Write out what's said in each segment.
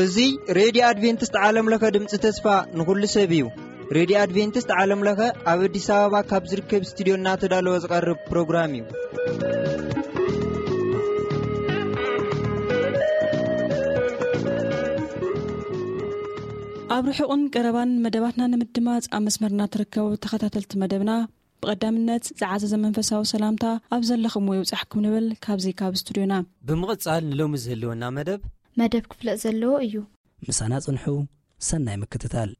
እዚ ሬድዮ ኣድቬንቲስት ዓለም ለኸ ድምፂ ተስፋ ንኹሉ ሰብ እዩ። ሬድዮ ኣድቬንቲስት ዓለም ለኸ ኣብ ኣዲስ ኣበባ ካብ ዝርከብ ስቱዲዮ እናተዳለወ ዝቐርብ ፕሮግራም እዩ። ኣብ ርሑቕን ቀረባን መደባትና ንምድማፅ ኣብ መስመርና ትርከቡ ተኸታተልቲ መደብና፣ ብቐዳምነት ዝዓዘዘ መንፈሳዊ ሰላምታ ኣብ ዘለኹምዎ ይብጻሕኩም ንብል ካብዚ ካብ ስቱዲዮና። ብምቕጻል ንሎሚ ዝህልወና መደብ መደብ ክፍለጥ ዘለዎ እዩ። ምሳና ጽንሑ። ሰናይ ምክትታል።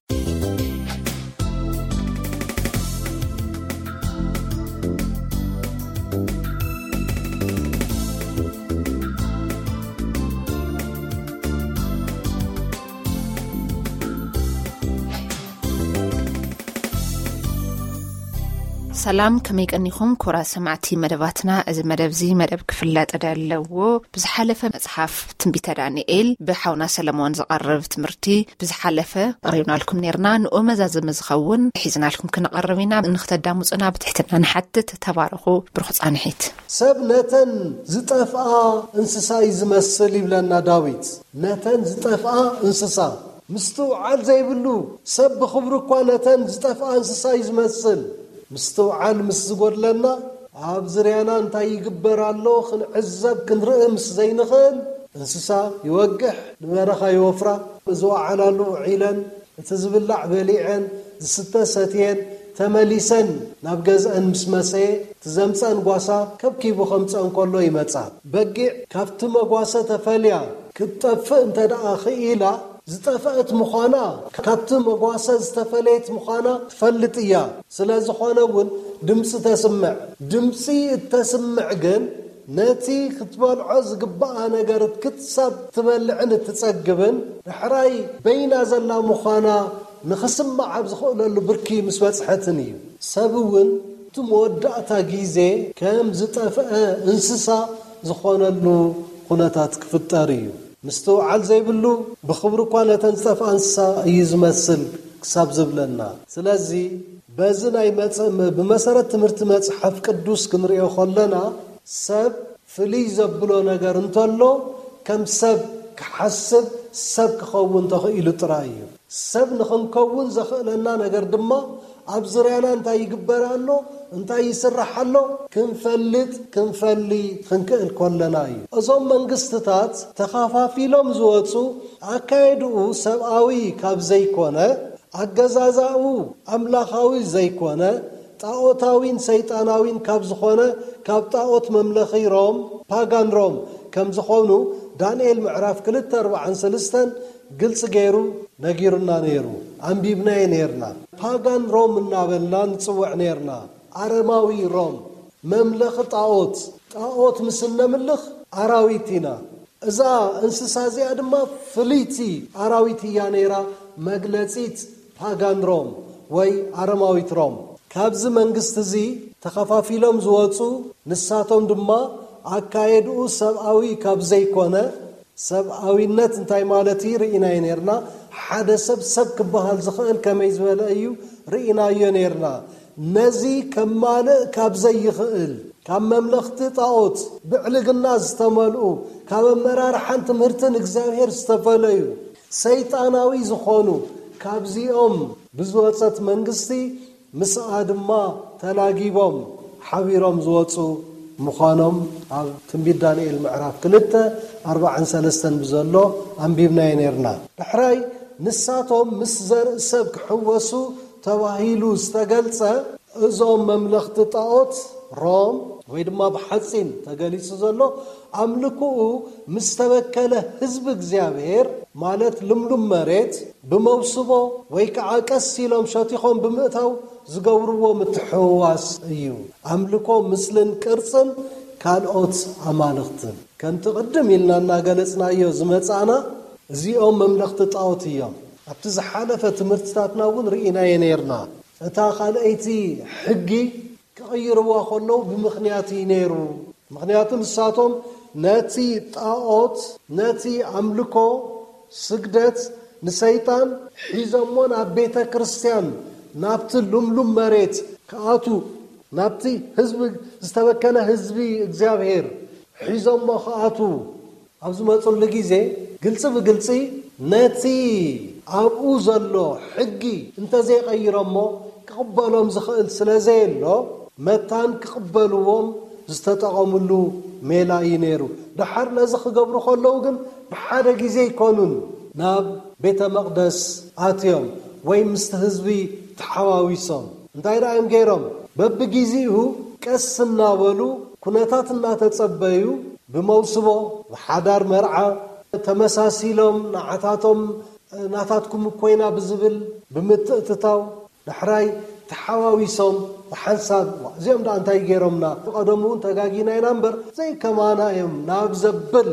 ሰላም፣ ከመይ ቀኒኹም ክቡራት ሰማዕቲ መደባትና? እዚ መደብ እዚ መደብ ክፍለጥ ዘለዎ ብዝሓለፈ መጽሓፍ ትንቢተ ዳንኤል ብሓውና ሰለሞን ዝቐርብ ትምህርቲ ብዝሓለፈ ቀሪብናልኩም ኔርና። ንኡ መዛዘሚ ዝኸውን ሒዝናልኩም ክንቐርብ ኢና። ንኽተዳምጹና ብትሕትና ንሓትት። ተባረኹ። ብሩኽ ጻንሒት። ሰብ ነተን ዝጠፍኣ እንስሳ እዩ ዝመስል ይብለና ዳዊት። ነተን ዝጠፍኣ እንስሳ ምስትውዓል ዘይብሉ ሰብ ብኽብሩ እኳ ነተን ዝጠፍኣ እንስሳ እዩ ዝመስል። ምስትውዓል ምስ ዝጎድለና፣ ኣብ ዝርያና እንታይ ይግበር ኣሎ ክንዕዘብ ክንርኢ ምስ ዘይንኽእል፣ እንስሳ ይወግሕ፣ ንበረኻ ይወፍራ፣ ዝወዓላሉ ውዒለን፣ እቲ ዝብላዕ በሊዐን፣ ዝስተ ሰትየን፣ ተመሊሰን ናብ ገዝአን ምስ መሰየ፣ እቲ ዘምፀአን ጓሳ ከብኪቡ ከምፀአን ከሎ ይመፃ። በጊዕ ካብቲ መጓሰ ተፈልያ ክትጠፍእ እንተ ደኣ ኽኢላ፣ ዝጠፍአት ምዃና፣ ካብቲ መጓሰ ዝተፈለየት ምዃና ትፈልጥ እያ። ስለ ዝኾነ እውን ድምፂ ተስምዕ። ድምፂ እተስምዕ ግን፣ ነቲ ክትበልዖ ዝግብኣ ነገር ክሳብ ትበልዕን እትጸግብን፣ ዳሕራይ በይና ዘላ ምዃና ንኽስማዕ ኣብ ዝኽእለሉ ብርኪ ምስ በጽሐትን እዩ። ሰብ እውን እቲ መወዳእታ ግዜ ከም ዝጠፍአ እንስሳ ዝኾነሉ ኩነታት ክፍጠር እዩ። ምስትውዓል ዘይብሉ ብኽብሪ እኳ ነተን ዝጠፍኣ እንስሳ እዩ ዝመስል ክሳብ ዝብለና። ስለዚ በዚ ናይ መጸ-፣ ብመሰረት ትምህርቲ መጽሓፍ ቅዱስ ክንርእዮ ከለና፣ ሰብ ፍልይ ዘብሎ ነገር እንተሎ፣ ከም ሰብ ክሓስብ፣ ሰብ ክኸውን ተኽኢሉ ጥራይ እዩ። ሰብ ንኽንከውን ዘኽእለና ነገር ድማ፣ ኣብ ዙርያና እንታይ ይግበር ኣሎ፣ እንታይ ይስራሕ ኣሎ፣ ክንፈልጥ፣ ክንፈሊ፣ ክንክእል ከለና እዩ። እዞም መንግስትታት ተኻፋፊሎም ዝወጹ፣ ኣካየድኡ ሰብኣዊ ካብ ዘይኮነ፣ ኣገዛዛኡ ኣምላኻዊ ዘይኮነ፣ ጣኦታዊን ሰይጣናዊን ካብ ዝኾነ፣ ካብ ጣኦት መምለኺ ሮም፣ ፓጋን ሮም ከም ዝኾኑ፣ ዳንኤል ምዕራፍ ክልተ፣ ኣርባዓን ሰለስተን ግልጺ ገይሩ ነጊሩና ነይሩ። ኣንቢብናዮ ነይርና። ፓጋን ሮም እናበልና ንጽውዕ ነይርና። ኣረማዊ ሮም፣ መምለኺ ጣኦት፣ ጣኦት ምስ እነምልኽ ኣራዊት ኢና። እዛ እንስሳ እዚኣ ድማ ፍልይቲ ኣራዊት እያ ነይራ፣ መግለጺት ፓጋን ሮም ወይ ኣረማዊት ሮም። ካብዚ መንግስቲ እዚ ተኸፋፊሎም ዝወጹ፣ ንሳቶም ድማ ኣካየድኡ ሰብኣዊ ካብ ዘይኮነ፣ ሰብኣዊነት እንታይ ማለት እዩ? ርኢናዮ ነይርና። ሓደ ሰብ ሰብ ክበሃል ዝኽእል ከመይ ዝበለ እዩ? ርኢናዮ ነይርና። ነዚ ከማልእ ካብ ዘይኽእል፣ ካብ መምለኽቲ ጣኦት ብዕልግና ዝተመልኡ፣ ካብ ኣመራርሓን ትምህርትን እግዚኣብሔር ዝተፈለዩ፣ ሰይጣናዊ ዝኾኑ፣ ካብዚኦም ብዝወጸት መንግስቲ ምስኣ ድማ ተላጊቦም ሓቢሮም ዝወጹ ምዃኖም ኣብ ትንቢት ዳንኤል ምዕራፍ ክልተ፣ ኣርባዓን ሰለስተን ብዘሎ ኣንቢብናዮ ነይርና። ዳሕራይ ንሳቶም ምስ ዘርኢ ሰብ ክሕወሱ ተባሂሉ ዝተገልጸ፣ እዞም መምለኽቲ ጣኦት ሮም፣ ወይ ድማ ብሓጺን ተገሊጹ ዘሎ፣ ኣምልኮኡ ምስ ተበከለ ህዝቢ እግዚኣብሔር፣ ማለት ልምሉም መሬት፣ ብመውስቦ ወይ ከዓ ቀስ ኢሎም ሸቲኾም ብምእታው ዝገብርዎ ምትሕውዋስ እዩ። ኣምልኮ ምስልን ቅርጽን ካልኦት ኣማልኽትን። ከምቲ ቅድም ኢልና እናገለጽናዮ ዝመጻእና፣ እዚኦም መምለኽቲ ጣኦት እዮም። ኣብቲ ዝሓለፈ ትምህርትታትና እውን ርኢናዮ ነይርና። እታ ካልኣይቲ ሕጊ ክቕይርዋ ከለዉ ብምኽንያት እዩ ነይሩ። ምኽንያቱ ንሳቶም ነቲ ጣኦት፣ ነቲ ኣምልኮ ስግደት ንሰይጣን ሒዞሞ ናብ ቤተ ክርስቲያን፣ ናብቲ ልምሉም መሬት ክኣቱ ናብቲ ህዝቢ ዝተበከለ ህዝቢ እግዚኣብሔር ሒዞሞ ክኣትዉ ኣብ ዝመፁሉ ግዜ ግልፂ ብግልፂ ነቲ ኣብኡ ዘሎ ሕጊ እንተዘይቐይሮሞ ክቕበሎም ዝኽእል ስለ ዘየሎ መታን ክቕበልዎም ዝተጠቐምሉ ሜላ እዩ ነይሩ። ደሓር ነዚ ክገብሩ ከለዉ ግን ብሓደ ግዜ ኣይኮኑን ናብ ቤተ መቕደስ ኣትዮም ወይ ምስቲ ህዝቢ ተሓዋዊሶም። እንታይ ደኣ እዮም ገይሮም? በብጊዜኡ ቀስ እናበሉ ኩነታት እናተጸበዩ ብመውስቦ ብሓዳር መርዓ ተመሳሲሎም ንዓታቶም ናታትኩም እኮይና ብዝብል ብምትእትታው ዳሕራይ ተሓዋዊሶም ብሓንሳብ እዚኦም ደኣ እንታይ ገይሮምና? ቀደሙ እውን ተጋጊና ኢና እምበር ዘይከማና እዮም ናብ ዘብል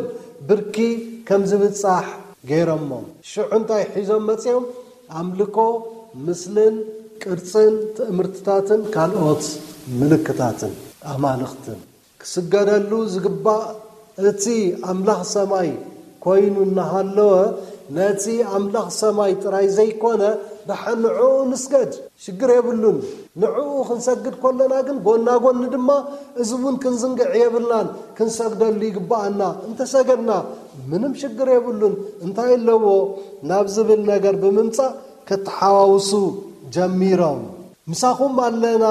ብርኪ ከም ዝብጻሕ ገይሮሞም። ሽዑ እንታይ ሒዞም መጺኦም? ኣምልኮ ምስልን ቅርጽን ትእምርትታትን ካልኦት ምልክታትን ኣማልኽትን ክስገደሉ ዝግባእ እቲ ኣምላኽ ሰማይ ኮይኑ እናሃለወ ነቲ ኣምላኽ ሰማይ ጥራይ ዘይኮነ ደሓን ንዕኡ ንስገድ ሽግር የብሉን። ንዕኡ ክንሰግድ ከለና ግን ጎና ጎኒ ድማ እዚ እውን ክንዝንግዕ የብልናን። ክንሰግደሉ ይግባኣና። እንተሰገድና ምንም ሽግር የብሉን። እንታይ ኣለዎ ናብ ዝብል ነገር ብምምጻእ ከተሓዋውሱ ጀሚሮም። ምሳኹም ኣለና፣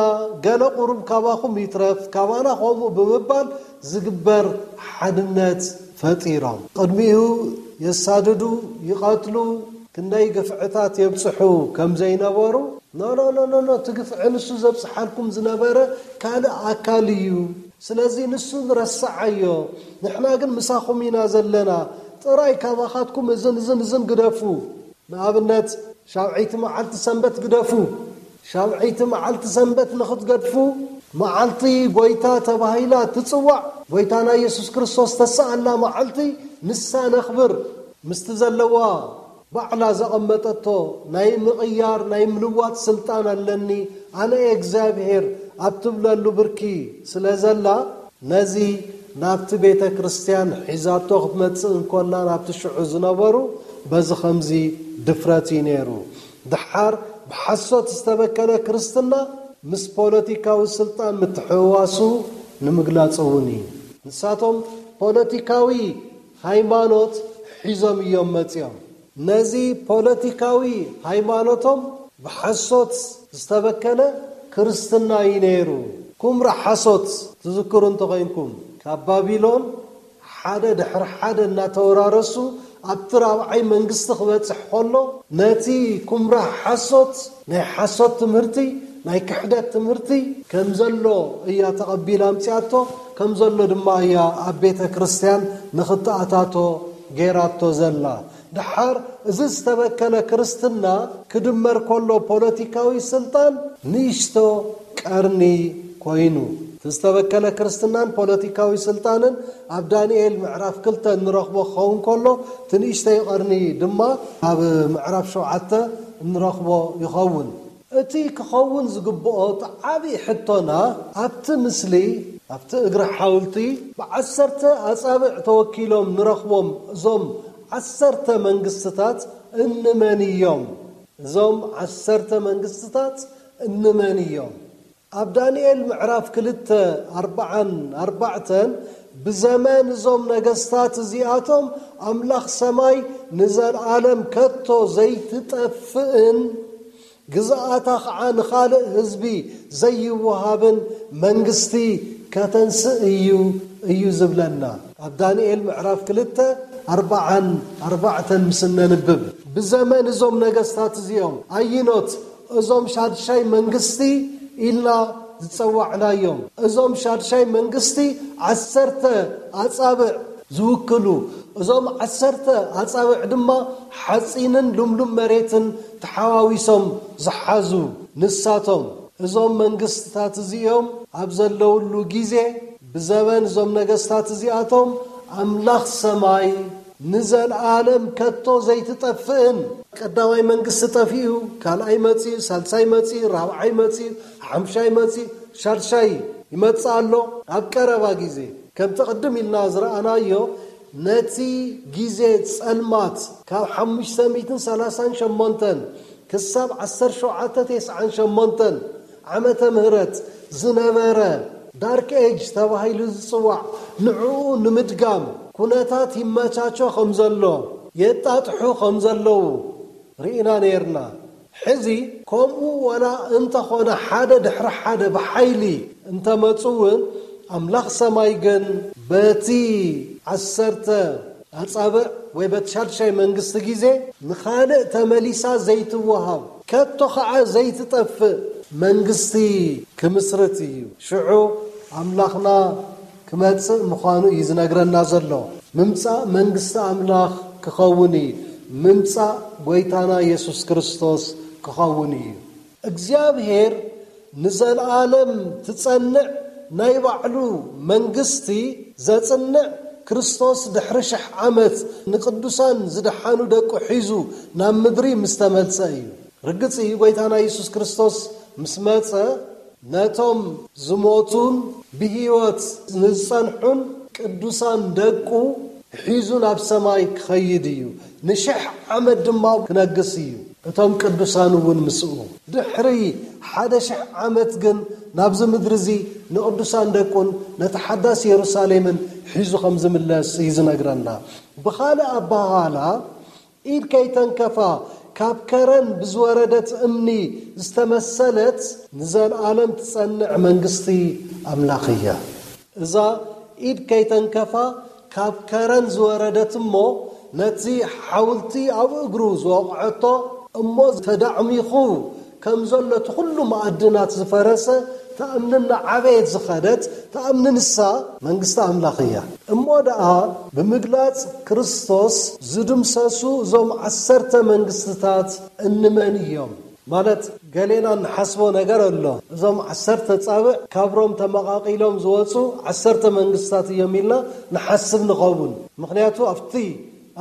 ገለ ቁሩብ ካባኹም ይትረፍ፣ ካባና ከምኡ ብምባል ዝግበር ሓድነት ፈጢሮም። ቅድሚኡ የሳድዱ፣ ይቐትሉ፣ ክንደይ ግፍዕታት የብጽሑ ከም ዘይነበሩ፣ ኖ፣ ኖ፣ ኖ፣ ኖ፣ ኖ፣ እቲ ግፍዒ ንሱ ዘብጽሓልኩም ዝነበረ ካልእ ኣካል እዩ። ስለዚ ንሱ ንረስዓዮ፣ ንሕና ግን ምሳኹም ኢና ዘለና። ጥራይ ካባኻትኩም እዝን፣ እዝን፣ እዝን ግደፉ። ንኣብነት፣ ሻውዐይቲ መዓልቲ ሰንበት ግደፉ። ሻውዐይቲ መዓልቲ ሰንበት ንኽትገድፉ፣ መዓልቲ ጎይታ ተባሂላ ትጽዋዕ፣ ጎይታና ኢየሱስ ክርስቶስ ተሰኣላ መዓልቲ፣ ንሳ ነኽብር። ምስቲ ዘለዋ ባዕላ ዘቐመጠቶ ናይ ምቕያር፣ ናይ ምልዋጥ ስልጣን ኣለኒ፣ ኣነ እየ እግዚኣብሔር ኣብ ትብለሉ ብርኪ ስለ ዘላ፣ ነዚ ናብቲ ቤተ ክርስቲያን ሒዛቶ ክትመጽእ እንኮላ፣ ናብቲ ሽዑ ዝነበሩ በዚ ኸምዚ ድፍረት እዩ ነይሩ። ደሓር ብሓሶት ዝተበከለ ክርስትና ምስ ፖለቲካዊ ስልጣን ምትሕውዋሱ ንምግላጽ እውን እዩ። ንሳቶም ፖለቲካዊ ሃይማኖት ሒዞም እዮም መጺኦም። ነዚ ፖለቲካዊ ሃይማኖቶም ብሓሶት ዝተበከለ ክርስትና እዩ ነይሩ። ኩምራ ሓሶት ትዝክሩ እንተኾይንኩም፣ ካብ ባቢሎን ሓደ ድሕሪ ሓደ እናተወራረሱ ኣብቲ ራብዓይ መንግስቲ ክበጽሕ ከሎ፣ ነቲ ኩምራ ሓሶት፣ ናይ ሓሶት ትምህርቲ፣ ናይ ክሕደት ትምህርቲ ከም ዘሎ እያ ተቐቢላ ኣምጺኣቶ፣ ከም ዘሎ ድማ እያ ኣብ ቤተ ክርስቲያን ንኽተኣታቶ ገይራቶ ዘላ። ደሓር እዚ ዝተበከለ ክርስትና ክድመር ከሎ ፖለቲካዊ ስልጣን ንእሽቶ ቀርኒ ኮይኑ። እቲ ዝተበከለ ክርስትናን ፖለቲካዊ ስልጣንን ኣብ ዳንኤል ምዕራፍ ክልተ እንረኽቦ ክኸውን ከሎ፣ እቲ ንእሽተይ ቀርኒ ድማ ኣብ ምዕራፍ ሸውዓተ እንረኽቦ ይኸውን። እቲ ክኸውን ዝግብኦ እቲ ዓቢ ሕቶና፣ ኣብቲ ምስሊ፣ ኣብቲ እግሪ ሓውልቲ ብዓሰርተ ኣጻብዕ ተወኪሎም ንረኽቦም እዞም ዓሰርተ መንግስትታት እንመን እዮም? እዞም ዓሰርተ መንግስትታት እንመን እዮም? ኣብ ዳንኤል ምዕራፍ ክልተ፣ ኣርባዓን ኣርባዕተን፣ ብዘመን እዞም ነገስታት እዚኣቶም ኣምላኽ ሰማይ ንዘለኣለም ከቶ ዘይትጠፍእን ግዝኣታ ኸዓ ንኻልእ ህዝቢ ዘይወሃብን መንግስቲ ከተንስእ እዩ፣ እዩ ዝብለና። ኣብ ዳንኤል ምዕራፍ ክልተ፣ ኣርባዓን ኣርባዕተን ምስ እነንብብ፣ ብዘመን እዞም ነገስታት እዚኦም፣ ኣይኖት እዞም ሻድሻይ መንግስቲ ኢልና ዝጸዋዕናዮም፣ እዞም ሻድሻይ መንግስቲ ዓሰርተ ኣጻብዕ ዝውክሉ፣ እዞም ዓሰርተ ኣጻብዕ ድማ ሓጺንን ልምሉም መሬትን ተሓዋዊሶም ዝሓዙ፣ ንሳቶም እዞም መንግስትታት እዚኦም ኣብ ዘለውሉ ግዜ፣ ብዘበን እዞም ነገስታት እዚኣቶም ኣምላኽ ሰማይ ንዘለኣለም ከቶ ዘይትጠፍእን፣ ቀዳማይ መንግስቲ ጠፊኡ፣ ካልኣይ መጺኡ፣ ሳልሳይ መጺኡ፣ ራብዓይ መጺኡ፣ ሓምሻይ መጺኡ፣ ሻድሻይ ይመጽእ ኣሎ። ኣብ ቀረባ ግዜ፣ ከምቲ ቅድም ኢልና ዝረኣናዮ፣ ነቲ ግዜ ጸልማት ካብ ሓሙሽተ ሚእትን ሰላሳን ሸሞንተን ክሳብ ዓሰርተ ሸውዓተ ተስዓን ሸሞንተን ዓመተ ምህረት ዝነበረ ዳርክ ኤጅ ተባሂሉ ዝጽዋዕ ንዕኡ ንምድጋም ኩነታት ይመቻቾ ከም ዘሎ፣ የጣጥሑ ከም ዘለዉ ርኢና ነይርና። ሕዚ ከምኡ ወላ እንተኾነ ሓደ ድሕሪ ሓደ ብሓይሊ እንተመጹ እውን ኣምላኽ ሰማይ ግን በቲ ዓሰርተ ኣጻብዕ ወይ በቲ ሻድሻይ መንግስቲ ግዜ ንኻልእ ተመሊሳ ዘይትወሃብ ከቶ ኸዓ ዘይትጠፍእ መንግስቲ ክምስርት እዩ። ሽዑ ኣምላኽና ክመጽእ ምዃኑ እዩ ዝነግረና ዘሎ። ምምጻእ መንግስቲ ኣምላኽ ክኸውን እዩ። ምምጻእ ጎይታና የሱስ ክርስቶስ ክኸውን እዩ። እግዚኣብሔር ንዘለኣለም ትጸንዕ ናይ ባዕሉ መንግስቲ ዘጽንዕ ክርስቶስ ድሕሪ ሽሕ ዓመት ንቅዱሳን ዝደሓኑ ደቁ ሒዙ ናብ ምድሪ ምስ ተመልሰ እዩ። ርግጽ እዩ፣ ጎይታና የሱስ ክርስቶስ ምስ መጸ ነቶም ዝሞቱን ብህይወት ንዝጸንሑን ቅዱሳን ደቁ ሒዙ ናብ ሰማይ ክኸይድ እዩ። ንሽሕ ዓመት ድማ ክነግስ እዩ። እቶም ቅዱሳን እውን ምስኡ። ድሕሪ ሓደ ሽሕ ዓመት ግን ናብዚ ምድሪ እዚ ንቅዱሳን ደቁን ነቲ ሓዳስ የሩሳሌምን ሒዙ ከም ዝምለስ እዩ ዝነግረና። ብኻልእ ኣባሃላ ኢድ ከይተንከፋ ካብ ከረን ብዝወረደት እምኒ ዝተመሰለት ንዘለኣለም ትጸንዕ መንግስቲ ኣምላኽ እያ። እዛ ኢድ ከይተንከፋ ካብ ከረን ዝወረደት እሞ ነቲ ሓውልቲ ኣብ እግሩ ዝወቕዐቶ እሞ ተዳዕሚኹ ከም ዘሎ እቲ ኩሉ መኣድናት ዝፈረሰ ተኣምንና ዓበየት ዝኸደት ተኣምኒ ንሳ መንግስቲ ኣምላኽ እያ። እሞ ደኣ ብምግላጽ ክርስቶስ ዝድምሰሱ እዞም ዓሰርተ መንግስትታት እንመን እዮም? ማለት ገሌና ንሓስቦ ነገር ኣሎ። እዞም ዓሰርተ ጻብዕ ካብ ሮም ተመቓቒሎም ዝወጹ ዓሰርተ መንግስታት እዮም ኢልና ንሓስብ ንኸውን። ምኽንያቱ ኣብቲ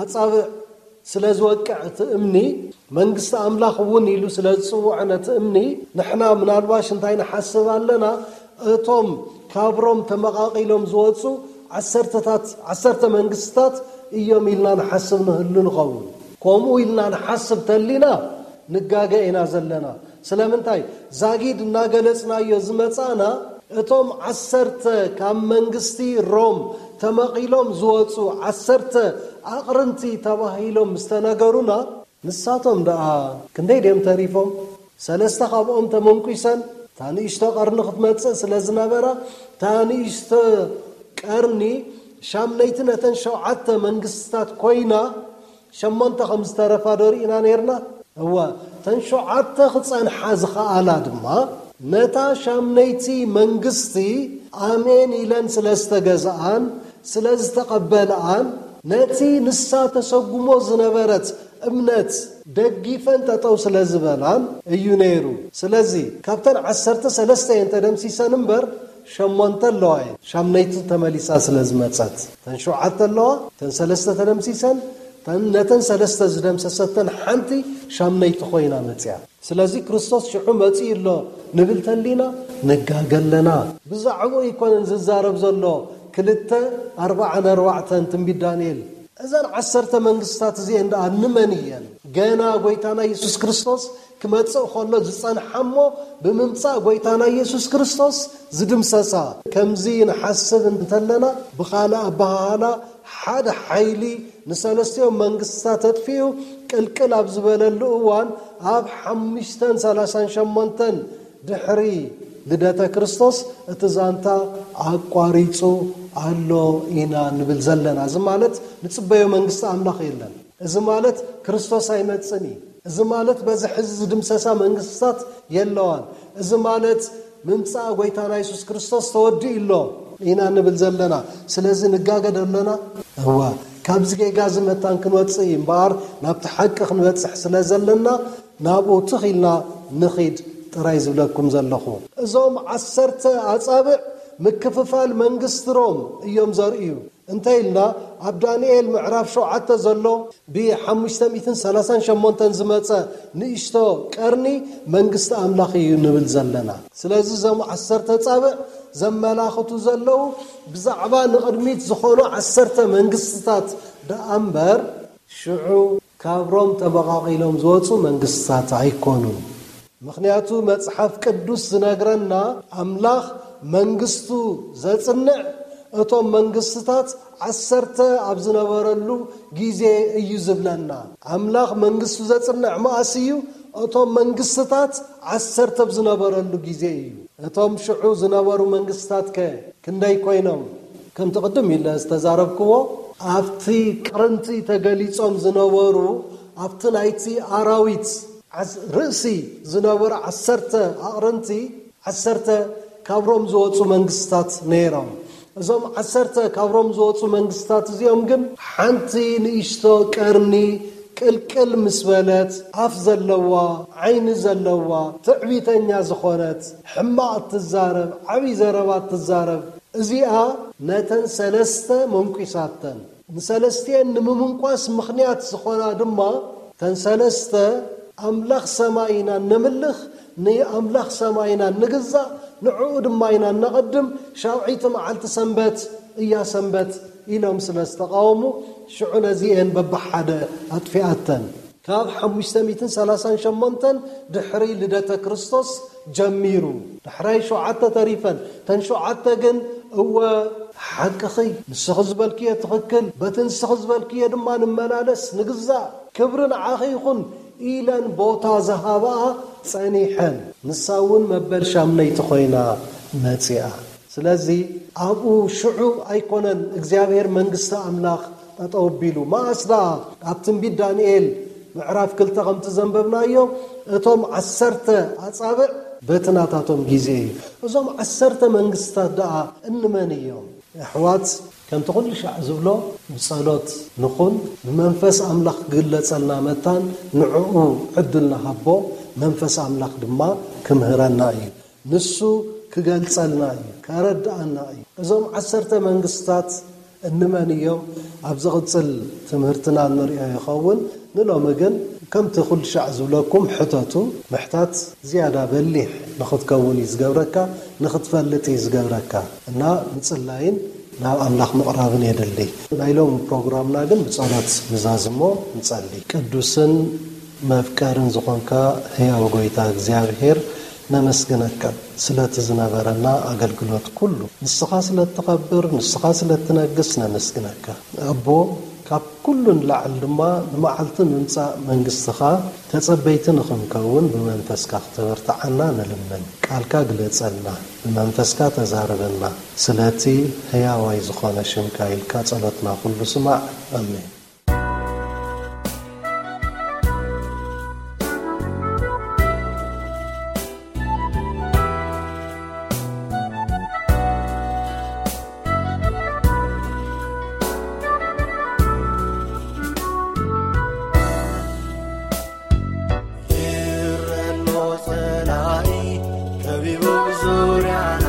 ኣጻብዕ ስለ ዝወቅዕ እቲ እምኒ መንግስቲ ኣምላኽ እውን ኢሉ ስለ ዝጽውዖ ነቲ እምኒ ንሕና ምናልባሽ እንታይ ንሓስብ ኣለና? እቶም ካብ ሮም ተመቓቒሎም ዝወጹ ዓሰርተታት ዓሰርተ መንግስትታት እዮም ኢልና ንሓስብ ንህሉ ንኸውን። ከምኡ ኢልና ንሓስብ ተሊና ንጋገ ኢና ዘለና። ስለምንታይ ዛጊድ እናገለጽናዮ ዝመጻና እቶም ዓሰርተ ካብ መንግስቲ ሮም ተመቒሎም ዝወጹ ዓሰርተ ኣቕርንቲ ተባሂሎም ዝተነገሩና ንሳቶም ደኣ ክንደይ ድዮም ተሪፎም? ሰለስተ ካብኦም ተመንኲሰን እታ ንእሽቶ ቀርኒ ክትመጽእ ስለ ዝነበራ እታ ንእሽቶ ቀርኒ ሻምነይቲ ነተን ሸውዓተ መንግስትታት ኮይና ሸሞንተ ከም ዝተረፋ ዶ ርኢና ነይርና? እወ፣ እተን ሸውዓተ ክጸንሓ ዝኸኣላ ድማ ነታ ሻምነይቲ መንግስቲ ኣሜን ኢለን ስለ ዝተገዝኣን ስለ ዝተቐበልኣን ነቲ ንሳ ተሰጉሞ ዝነበረት እምነት ደጊፈን ጠጠው ስለ ዝበላን እዩ ነይሩ። ስለዚ ካብተን ዓሰርተ ሰለስተ እየን ተደምሲሰን እምበር ሸሞንተ ኣለዋ እየን። ሻምነይቲ ተመሊሳ ስለ ዝመጸት እተን ሸውዓተ ኣለዋ፣ እተን ሰለስተ ተደምሲሰን፣ እተን ነተን ሰለስተ ዝደምሰሰተን ሓንቲ ሻምነይቲ ኮይና መጽያ። ስለዚ ክርስቶስ ሽዑ መጺኡ ኣሎ ንብል ተሊና ንጋገ ኣለና። ብዛዕባኡ ኣይኮነን ዝዛረብ ዘሎ ክልተ ኣርባዓን ኣርባዕተን ትንቢት ዳንኤል። እዘን ዓሰርተ መንግስታት እዚአን ደኣ ንመን እየን? ገና ጎይታና የሱስ ክርስቶስ ክመጽእ ከሎ ዝጸንሓ እሞ ብምምጻእ ጎይታና የሱስ ክርስቶስ ዝድምሰሳ። ከምዚ ንሓስብ እንተለና ብኻልእ ኣበሃህላ ሓደ ሓይሊ ንሰለስቲኦም መንግስታት ኣጥፊኡ ቅልቅል ኣብ ዝበለሉ እዋን ኣብ ሓሙሽተን ሰላሳን ሸሞንተን ድሕሪ ልደተ ክርስቶስ እቲ ዛንታ ኣቋሪጹ ኣሎ ኢና ንብል ዘለና። እዚ ማለት ንጽበዮ መንግስቲ ኣምላኽ የለን። እዚ ማለት ክርስቶስ ኣይመጽን እዩ። እዚ ማለት በዚ ሕዚ ዝድምሰሳ መንግስታት የለዋን። እዚ ማለት ምምጻእ ጎይታና የሱስ ክርስቶስ ተወዲኡ ኣሎ ኢና ንብል ዘለና። ስለዚ ንጋገ ዶ ኣለና? እወ፣ ካብዚ ጌጋ እዚ መታን ክንወጽእ እዩ እምበኣር ናብቲ ሓቂ ክንበጽሕ ስለ ዘለና ናብኡ ትኽ ኢልና ንኺድ ጥራይ ዝብለኩም ዘለኹ። እዞም ዓሰርተ ኣጻብዕ ምክፍፋል መንግስቲ ሮም እዮም ዘርእዩ። እንተ ኢልና ኣብ ዳንኤል ምዕራፍ ሸውዓተ ዘሎ ብሓሙሽተ ሚእትን ሰላሳን ሸሞንተን ዝመጸ ንእሽቶ ቀርኒ መንግስቲ ኣምላኽ እዩ ንብል ዘለና። ስለዚ እዞም ዓሰርተ ጻብዕ ዘመላኽቱ ዘለዉ ብዛዕባ ንቕድሚት ዝኾኑ ዓሰርተ መንግስትታት ደኣ እምበር ሽዑ ካብ ሮም ተመቓቒሎም ዝወጹ መንግስትታት ኣይኮኑን። ምኽንያቱ መጽሓፍ ቅዱስ ዝነግረና ኣምላኽ መንግስቱ ዘጽንዕ እቶም መንግስትታት ዓሰርተ ኣብ ዝነበረሉ ግዜ እዩ ዝብለና። ኣምላኽ መንግስቱ ዘጽንዕ መኣስ እዩ? እቶም መንግስትታት ዓሰርተ ኣብ ዝነበረሉ ግዜ እዩ። እቶም ሽዑ ዝነበሩ መንግስትታት ከ ክንደይ ኮይኖም? ከምቲ ቅድም ኢለ ዝተዛረብክዎ ኣብቲ ቅርንቲ ተገሊጾም ዝነበሩ ኣብቲ ናይቲ ኣራዊት ዓስ- ርእሲ ዝነበሩ ዓሰርተ ኣቕርንቲ ዓሰርተ ካብ ሮም ዝወፁ መንግስታት ነይሮም። እዞም ዓሰርተ ካብ ሮም ዝወፁ መንግስታት እዚኦም ግን ሓንቲ ንእሽቶ ቀርኒ ቅልቅል ምስ በለት ኣፍ ዘለዋ ዓይኒ ዘለዋ ትዕቢተኛ ዝኾነት ሕማቕ እትዛረብ ዓብዪ ዘረባ እትዛረብ እዚኣ ነተን ሰለስተ መንቂሳተን። ንሰለስቲኤን ንምምንቋስ ምኽንያት ዝኾና ድማ ተን ሰለስተ ኣምላኽ ሰማይ ኢና ነምልኽ፣ ንኣምላኽ ሰማይ ኢና ንግዛእ፣ ንዕኡ ድማ ኢና ነቐድም፣ ሻውዒቲ መዓልቲ ሰንበት እያ ሰንበት ኢሎም ስለ ዝተቓወሙ ሽዑ ነዚኤን በብሓደ ኣጥፊኣተን። ካብ ሓሙሽተ ሚእትን ሰላሳን ሸሞንተን ድሕሪ ልደተ ክርስቶስ ጀሚሩ ዳሕራይ ሸውዓተ ተሪፈን። ተን ሸውዓተ ግን እወ ሓቅኺ፣ ንስኺ ዝበልክዮ ትኽክል፣ በቲ ንስኺ ዝበልክዮ ድማ ንመላለስ ንግዛእ፣ ክብሪ ንዓኺ ይኹን ኢለን ቦታ ዝሃባኣ ጸኒሐን። ንሳ እውን መበል ሻምነይቲ ኮይና መጺኣ። ስለዚ ኣብኡ ሽዑ ኣይኮነን እግዚኣብሔር መንግስቲ ኣምላኽ ጠጠው ኣቢሉ። መኣስ ደኣ? ኣብ ትንቢት ዳንኤል ምዕራፍ ክልተ ከምቲ ዘንበብናዮ እቶም ዓሰርተ ኣጻብዕ በቲ ናታቶም ግዜ እዩ። እዞም ዓሰርተ መንግስትታት ደኣ እንመን እዮም? ኣሕዋት ከምቲ ኩሉ ሻዕ ዝብሎ ብጸሎት ንኹን፣ ብመንፈስ ኣምላኽ ክግለጸልና መታን ንዕኡ ዕድል ንሃቦ፣ መንፈስ ኣምላኽ ድማ ክምህረና እዩ። ንሱ ክገልጸልና እዩ፣ ከረድኣና እዩ። እዞም ዓሰርተ መንግስታት እንመን እዮም? ኣብ ዝቕጽል ትምህርትና እንሪኦ ይኸውን። ንሎሚ ግን ከምቲ ኩሉ ሻዕ ዝብለኩም ሕተቱ። ምሕታት ዝያዳ በሊሕ ንኽትከውን እዩ ዝገብረካ፣ ንኽትፈልጥ እዩ ዝገብረካ። እና ምጽላይን ናብ ኣምላኽ ምቕራብን የድሊ። ናይ ሎሚ ፕሮግራምና ግን ብጸሎት ንዛዝሞ። ንጸሊ። ቅዱስን መፍቀርን ዝኾንካ ህያው ጎይታ እግዚኣብሔር ነመስግነካ ስለቲ ዝነበረና ኣገልግሎት ኩሉ። ንስኻ ስለ እትኸብር፣ ንስኻ ስለ እትነግስ ነመስግነካ። ኣቦ፣ ካብ ኩሉ ንላዕሊ ድማ ንመዓልቲ ምምጻእ መንግስትኻ ተጸበይቲ ንኽንከውን ብመንፈስካ ክተበርትዓና ንልምን። ቃልካ ግለጸልና፣ ብመንፈስካ ተዛረበና። ስለቲ ህያዋይ ዝኾነ ሽምካ ኢልካ ጸሎትና ኩሉ ስማዕ። ኣሜን። ይረሎ ጸላኢ ከቢቡ ዙርያና፣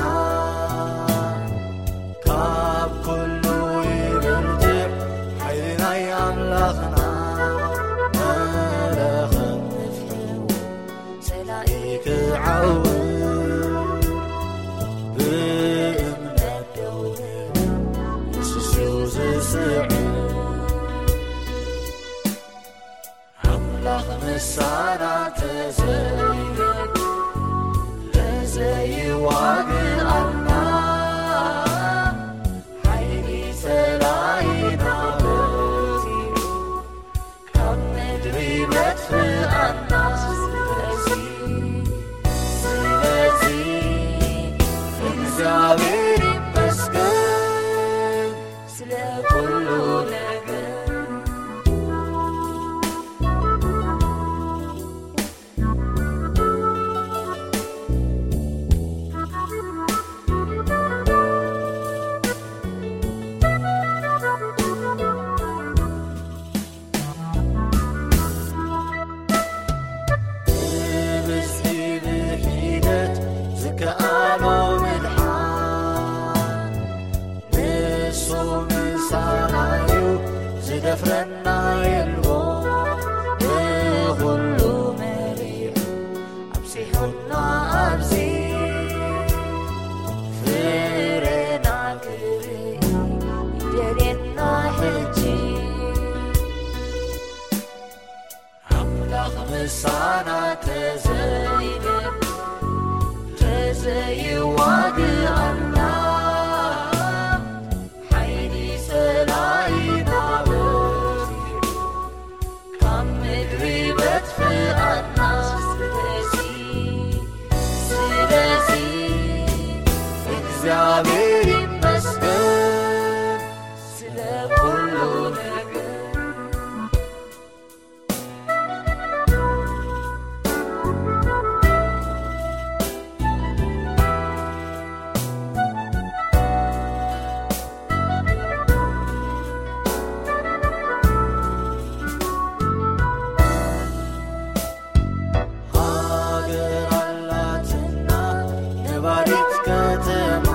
ካብ ኩሉ ይብርትዕ ሓይሊ ናይ ኣምላኽና። መለኸት ንፍሕዎ ጸላኢ ክዓው፣ ብእምነት ደው ንበል ንሱ ዝስዕር። ኣምላኽ ምሳና ተዘይነግ ተዘይዋግኣና፣ ሓይሊ ጸላኢና በዚሑ ካብ ምድሪ መጥፍኣና። ስለዚ፣ ስለዚ እግዚኣብሔር ይመስገን። ስለ ኩሉ ነገር። ብብዝሒ ብሒደት ዝከኣሎ ምድሓን፣ ዘይዋግኣና ሓይሊ ጸላኢና በርቲዑ፣ ካብ ምድሪ በትፍኣና። ስለዚ፣ ስለዚ እግዚኣብሔር ይመስገን ስለ ኩሉ ነገር። ሃገር ኣላትና ነባሪት ከተማ፣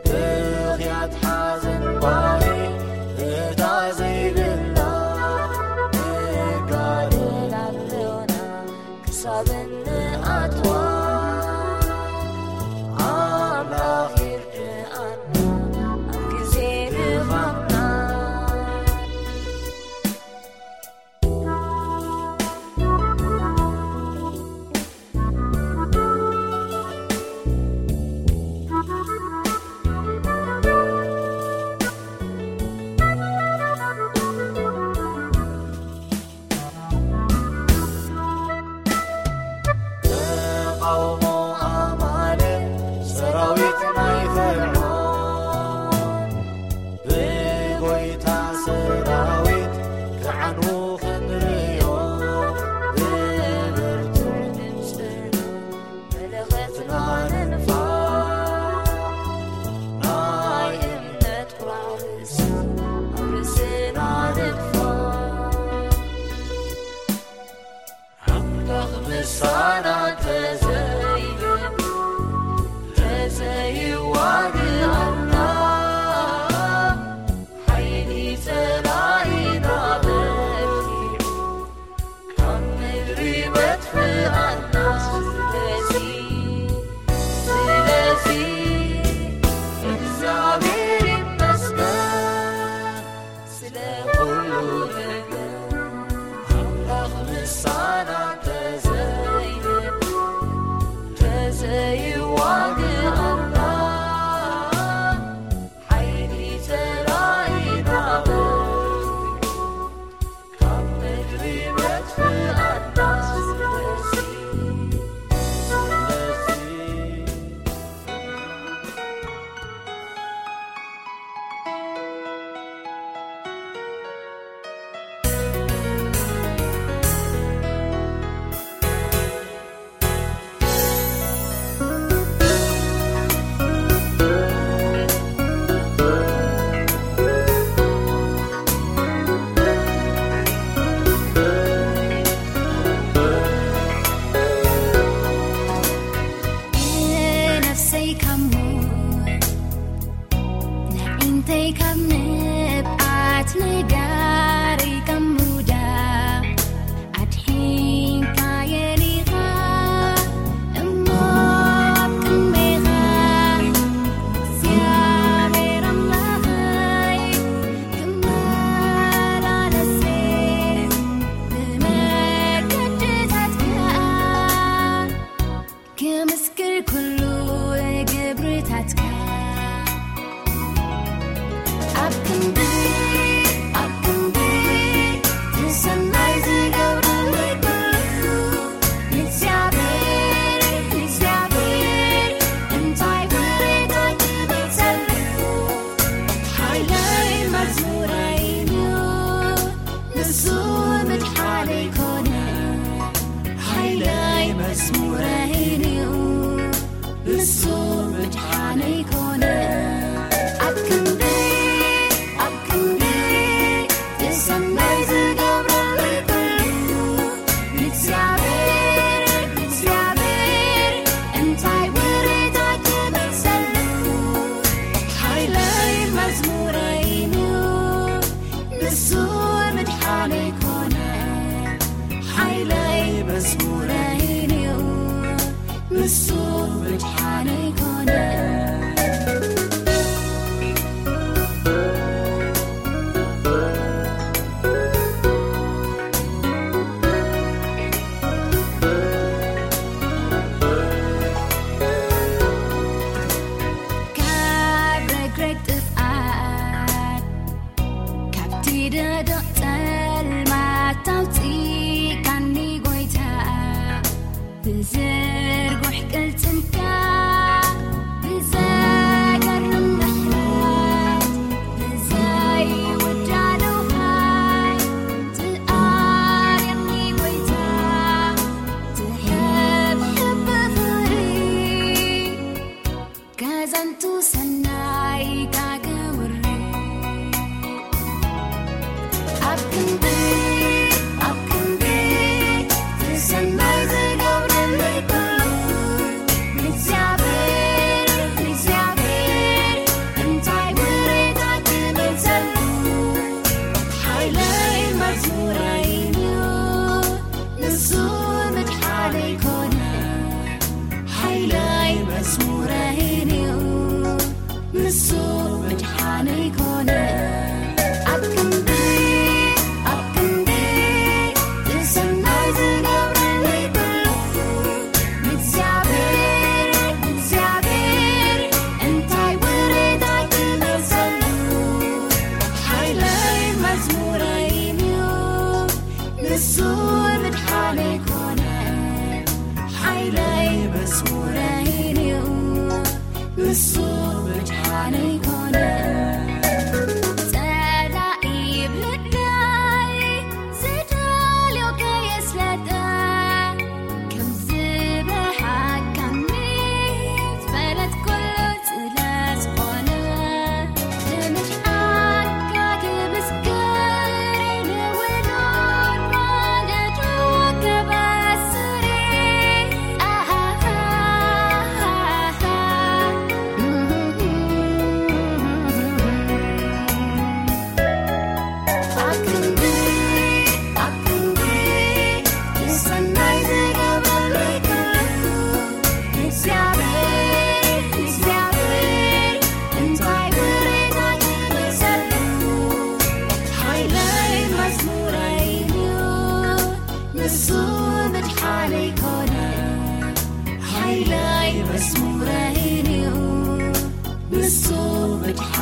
ብኽያት ሓዘን ጓሂ እታ ዘይብላ፣ ንጋደል ኣሎና ክሳብ እንኣትዋ። ኣምላኽ ይርድኣና ኣብ ግዜ ድኻምና። ተቓውሞ ኣማልእ ሰራዊት ናይ ፈርዖን፣ ብጎይታ ሰራዊት ክዓንዉ ክንርእዮ፣ ብብርቱዕ ድምፅና መለኸትና ንንፋ፣ ናይ እምነት ቁራዕ ርእሲ ኣብ ርእስና ንንፋ። ኣምላኽ ምሳና ተዘይለ-፣ ተዘይዋግኣና፣ ሓይሊ ጸላኢና በርቲዑ፣ ካብ ምድሪ በትፍኣና። ስለዚ፣ ስለዚ፣ እግዚኣብሔር ይመስገን። ስለ ኩሉ ነገር ኣምላኽ ምሳና ተዘይለ-፣ ተዘይዋግኣና፣ ሓይሊ ጸላኢና በርቲዑ፣ ካብ ምድሪ መጥፍኣና። ስለዚ፣ ስለዚ፣ ነፍሰይ ካብ ሞት፣ ንዒንተይ ካብ ንብዓት፣ ነጋረይ ካብ ምውዳቕ ኣድሒንካየን ኢኻ እሞ ኣብ ቅድሜኻ እግዚኣብሔር ኣምላኸይ ክመላለስ ብመገድታትካ ክምስክር ኩሉ ግብርታትካ። ኣብ ክንዲ፣ ኣብ ክንዲ፣ ንሰናይ ዝገብረለይ ኩሉ፣ ንእግዚኣብሔር፣ ንእግዚኣብሔር፣ እንታይ ውሬታ ክመልሰሉ? ሓይለይ መዝሙረይ እዩ፣ ንሱ ምድሓነይ ኮነ። ሓይለይ መዝሙረይ እዩ፣ ንሱ ምድሓነይ ኮነ። ኣብ ክንዲ፣ ኣብ ክንዲ፣ እቲ ሰናይ ዝገብረለይ ኩሉ፣ ንእግዚኣብሔር፣ ንእግዚኣብሔር፣ እንታይ ውሬታ ክመልሰሉ? ሓይለይ መዝሙረይ እዩ፣ ንሱ ምድሓነይ ኮነ። ሓይለይ መዝሙረይ እዩ፣ ንሱ ምድሓነይ ኮነ። ቅልጽምካ ብዘገርም ምሕረት፣ ብዘይውዳደው ትኣልየኒ ጎይታ፣ ትሕብሕብ ብፍቕሪ። ከዘንቱ ሰናይካ ክውሪ። ኣብ ክንዲ፣ ኣብ ክንዲ፣ እቲ ሰናይ ዝገብረለይ ኩሉ፣ ንእግዚኣብሔር፣ ንእግዚኣብሔር፣ እንታይ ውሬታ ክመልሰሉ? ሓይለይ መዝሙረይንዩ፣ ንሱ ምድሓነይ ኮነ። ሓይለይ መዝሙረይንዩ፣ ንሱ ምድሓነይ ኮነ። ኣብ ክንዲ፣ ኣብ ክንዲ፣ እቲ ሰናይ ዝገብረለይ ኩሉ፣ ንእግዚኣብሔር፣ ንእግዚኣብሔር፣ እንታይ ውሬታ ክመልሰሉ? ሓይለይ መዝሙረይንዩ፣ ንሱ ምድሓነይ ኮነ። ሓይለይ መዝሙረይንዩ፣ ንሱ ምድሓነይ ኮነ። ጸላኢ ብልዳይ ዝደልዮ ከየስለጠ፣ ከም ዝበሓካኒ ዝፈለጥ ኩሉ ስለ ዝኾነ፣ ንምድሓንካ ክምስክር ንውሉድ ወለዶ ከበስር። ኣሃሃሃሃ። ኣብ ክንዲ፣ ኣብ ክንዲ፣ እቲ ሰናይ ዝገብረለይ ኩሉ፣ ንእግዚኣብሔር፣ ንእግዚኣብሔር፣ እንታይ ውሬታ ክመልሰሉ? ሓይለይ መዝሙረይንዩ፣ ንሱ ምድሓነይ ኮነ። ሓይለይ መዝሙረይንዩ፣ ንሱ ምድሓ